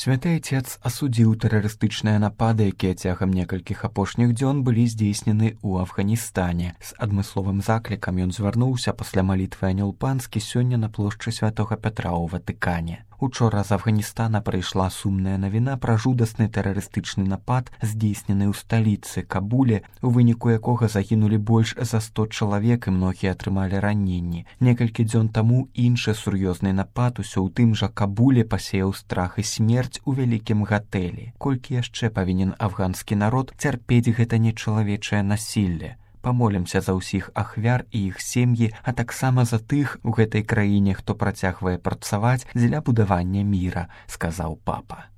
Святы Отец асудзіў тэрарыстычныя напады, якія цягам некалькіх апошніх дзён былі здзейснены ў Афганістане. З адмысловым заклікам ён звярнуўся пасля малітвы Анёл Панскі сёння на плошчы Святога Пятра ў Ватыкане. Учора з Афганістана прыйшла сумная навіна пра жудасны тэрарыстычны напад, здзейснены ў сталіцы Кабуле, у выніку якога загінулі больш за 100 чалавек і многія атрымалі раненні. Некалькі дзён таму іншы сур'ёзны напад усё ў тым жа Кабуле пасеяў страх і смерць у вялікім гатэлі. Колькі яшчэ павінен афганскі народ цярпець гэта нечалавечае насілле? Памолімся за ўсіх ахвяр і іх сем'і, а таксама за тых у гэтай краіне, хто працягвае працаваць дзеля будавання міра, сказаў папа.